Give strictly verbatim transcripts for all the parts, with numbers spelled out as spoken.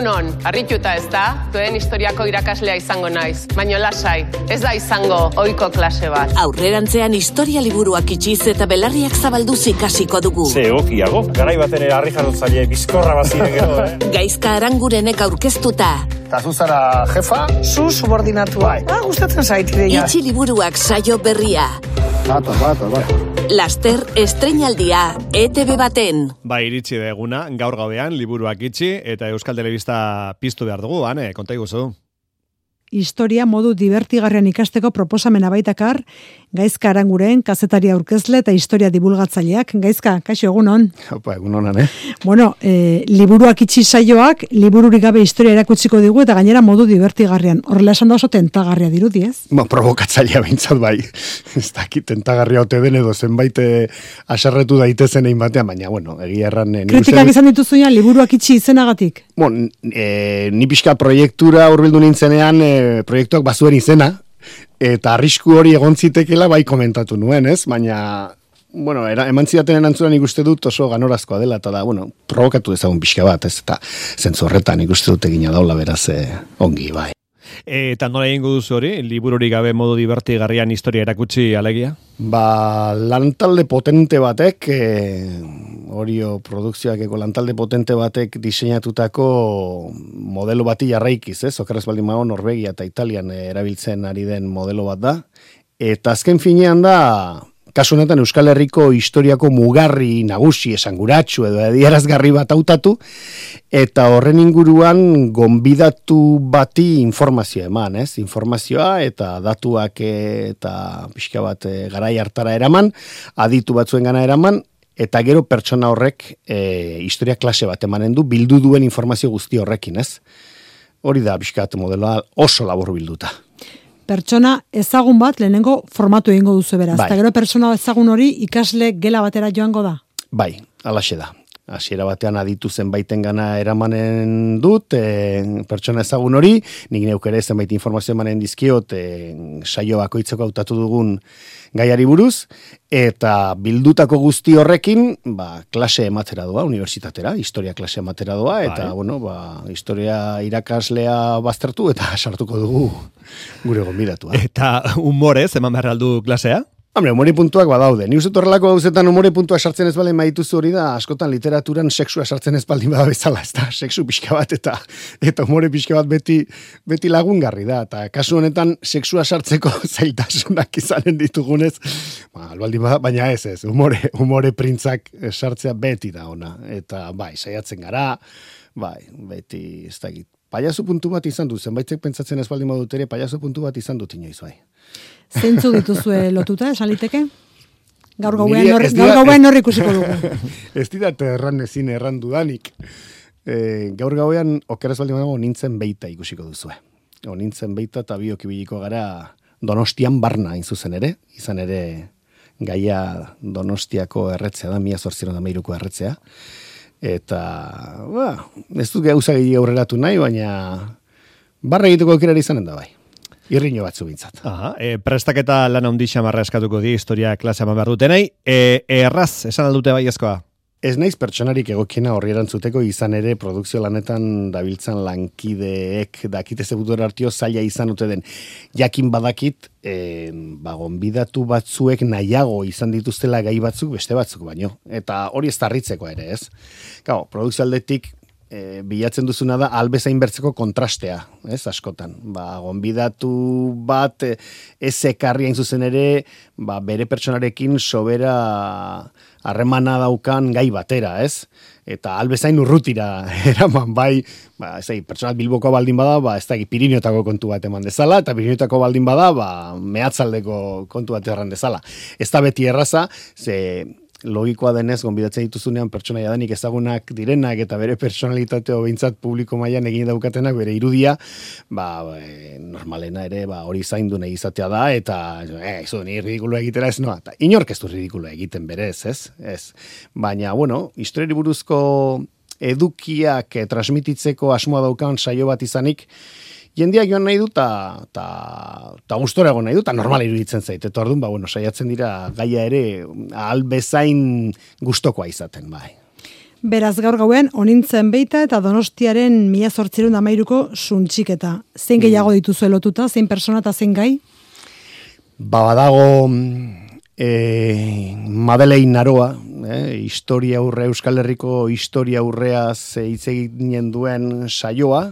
Egunon, harrituta ez da, duen historiako irakaslea izango naiz. Baina lasai, ez da izango ohiko klase bat. Aurrerantzean historia liburuak itxiz eta belarriak zabalduz ikasiko dugu. Ze egokiago, garai baten ere harri jarrotzaile bizkorra bazire gero, eh? Gaizka Arangurenek aurkeztuta. Eta zu zara jefa? Zu subordinatua. Ah, gustatzen zait ideia. Itxi liburuak saio berria. Bato, bato, bato. Laster estreinaldia E T B baten. Ba, iritsi da eguna, gaur gauean liburuak itxi eta Euskal Telebista piztu behar dugu, ane, konta iguzu. Historia modu divertigarrian ikasteko proposamena baitakar, Gaizka Aranguren, kazetari aurkezle eta historia divulgatzaileak. Gaizka, kaixo egunon. Opa, egunonan, eh? Bueno, e, liburuak itxi saioak, libururik gabe historia erakutsiko digu eta gainera modu divertigarrian. Horrela esan da oso tentagarria dirudi, ez? Ba, provokatzailea behintzat bai. Ez dakit tentagarria ote den edo zenbait aserretu daitezen egin batean, baina, bueno, egia erran... E, Kritikak izan dituzunean liburuak itxi izenagatik? Bon, e, ni pixka proiektura hurbildu nintzenean, e, proiektuak bazuen izena, eta arrisku hori egon zitekela bai komentatu nuen, ez? Baina, bueno, era, eman zidaten erantzunan ikuste dut oso ganorazkoa dela, eta da, bueno, provokatu ezagun pixka bat, ez? Eta zentzu horretan ikuste dut egina daula beraz eh, ongi, bai. Eta nola egingo duzu hori, libururik gabe modu divertigarrian historia erakutsi alegia? Ba, lantalde potente batek, e, Orio produkzioakeko lantalde potente batek diseinatutako modelo bati jarraikiz, ez? Okerrez baldin mago Norvegia eta Italian erabiltzen ari den modelo bat da. Eta azken finean da, kasu honetan Euskal Herriko historiako mugarri nagusi esanguratsu edo adierazgarri bat hautatu, eta horren inguruan gonbidatu bati informazioa eman, ez? Informazioa eta datuak eta pixka bat garai hartara eraman, aditu batzuen gana eraman, eta gero pertsona horrek e, historia klase bat emanen du, bildu duen informazio guzti horrekin, ez? Hori da pixkat modeloa oso labur bilduta. Pertsona ezagun bat lehenengo formatu egingo duzu beraz. Bai. Eta gero pertsona ezagun hori ikasle gela batera joango da? Bai, alaxe da. Hasiera batean aditu zenbaiten gana eramanen dut, e, pertsona ezagun hori, nik neuk ere zenbait informazio emanen dizkiot, e, saio bakoitzeko hautatu dugun gaiari buruz, eta bildutako guzti horrekin, ba, klase ematera doa, unibertsitatera, historia klase ematera doa, eta, bai. bueno, ba, historia irakaslea baztertu, eta sartuko dugu gure gonbidatua. Eta humorez, eman behar aldu klasea? Hombre, umore puntuak badaude. Ni uste horrelako gauzetan umore puntua sartzen ez baldin badituzu hori da, askotan literaturan sexua sartzen ez baldin bada bezala, ez da, sexu pixka bat eta eta umore pixka bat beti, beti lagungarri da. Eta kasu honetan sexua sartzeko zailtasunak izanen ditugunez, ba, albaldin bada, baina ez ez, umore, umore printzak sartzea beti da ona. Eta bai, saiatzen gara, bai, beti ez dakit. Paiazu puntu bat izan du, zenbaitek pentsatzen ez baldin badut ere, paiazu puntu bat izan dut inoiz, bai. Zeintzu dituzue lotuta, esan liteke? Gaur gauean norri, gaur gauean norri ikusiko dugu. Ez didat erran ezin erran dudanik. E, gaur gauean okeraz baldin badago nintzen beita ikusiko duzue. O, nintzen beita eta biok ibiliko gara Donostian barna zuzen ere. Izan ere gaia Donostiako erretzea da, mila zortziehun eta hamairuko erretzea. Eta, ba, ez dut gauza gehi aurreratu nahi, baina barra egiteko aukera izanen da bai. Irriño batzu bintzat. Aha, e, prestaketa lan handi xamarra eskatuko di, historia klase eman behar dutenei. E, erraz, esan aldute bai ezkoa? Ez naiz pertsonarik egokiena horri erantzuteko, izan ere produkzio lanetan dabiltzan lankideek dakite zebutor hartio zaila izan dute den. Jakin badakit, e, ba, gonbidatu batzuek nahiago izan dituztela gai batzuk beste batzuk baino. Eta hori ez tarritzeko ere, ez? Gau, produkzio aldetik, E, bilatzen duzuna da albezain bertzeko kontrastea, ez, askotan. Ba, gonbidatu bat e, ez ekarri hain zuzen ere, ba, bere pertsonarekin sobera harremana daukan gai batera, ez? Eta albezain urrutira eraman, bai, ba, ez da, pertsonat Bilboko baldin bada, ba, ez da, Pirinotako kontu bat eman dezala, eta Pirinotako baldin bada, ba, mehatzaldeko kontu bat erran dezala. Ez da beti erraza, ze logikoa denez, gonbidatzen dituzunean pertsonaia danik ezagunak direnak eta bere personalitateo behintzat publiko mailan egin daukatenak, bere irudia, ba, e, normalena ere, ba, hori zaindu nahi izatea da, eta, eh, izo, ni ridikuloa egitera ez noa, eta inork ez du ridikuloa egiten berez, ez? Ez. Baina, bueno, historiari buruzko edukiak eh, transmititzeko asmoa daukan saio bat izanik, jendeak joan nahi du, eta gustora egon nahi du, eta normal iruditzen zait. Eta orduan, ba, bueno, saiatzen dira gaia ere ahal bezain gustokoa izaten, bai. Beraz, gaur gauen, onintzen beita eta Donostiaren mila zortzireun amairuko suntxiketa. Zein gehiago dituzue lotuta, zein persona eta zein gai? Ba, badago e, Madeleine Naroa, e, historia aurre, Euskal Herriko historia aurreaz hitz eginen duen saioa,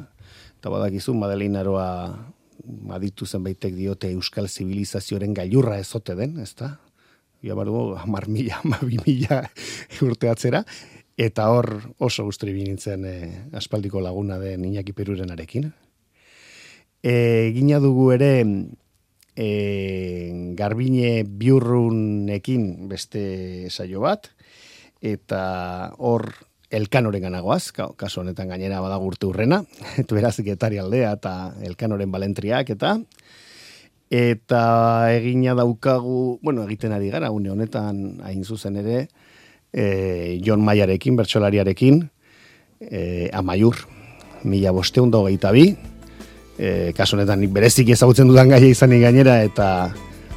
eta badakizu Madeleine Naroa aditu zenbaitek diote Euskal Zibilizazioaren gailurra ezote den, ezta? Ja bardu, hamar mila, hamabi mila urte atzera, eta hor oso gusturi binintzen e, aspaldiko laguna den Iñaki Perurenarekin. E, gina dugu ere e, Garbine Biurrunekin beste saio bat, eta hor Elkanoren ganagoaz, kasu honetan gainera badago urte urrena, eta beraz Getari aldea eta Elkanoren balentriak, eta eta egina daukagu, bueno, egiten ari gara, une honetan hain zuzen ere, e, Jon Maiarekin, bertsolariarekin, e, Amaiur, mila bosteun da hogeita bi, e, kasu honetan nik bereziki ezagutzen dudan gaia izanik gainera, eta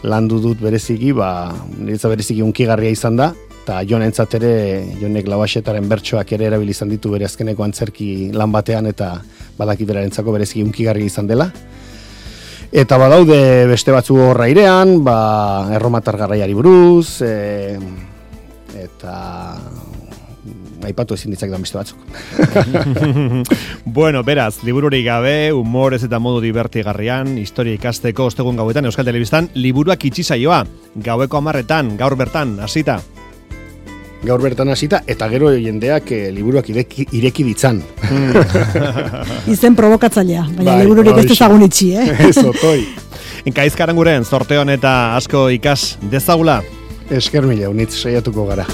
landu dut bereziki, ba, niretza bereziki unkigarria izan da, eta Jon entzat ere, Jonek Labaxetaren bertsoak ere erabili izan ditu bere azkeneko antzerki lan batean, eta badaki berarentzako bereziki unkigarria izan dela. Eta badaude beste batzu horra irean, ba, erromatar garraiari buruz, e, eta aipatu ezin ditzak da beste batzuk. Bueno, beraz, libururik gabe, humorez eta modu divertigarrian, historia ikasteko ostegun gauetan Euskal Telebistan, liburuak itxi saioa, gaueko hamarretan, gaur bertan, hasita. Gaur bertan hasita, eta gero jendeak e, liburuak ireki, ireki ditzan. Izen provokatzailea, baina bai, libururik ez dezagun itxi, eh? Ez, otoi. Inkaizkaranguren, sorteon eta asko ikas dezagula. Esker mila, unitz saiatuko gara.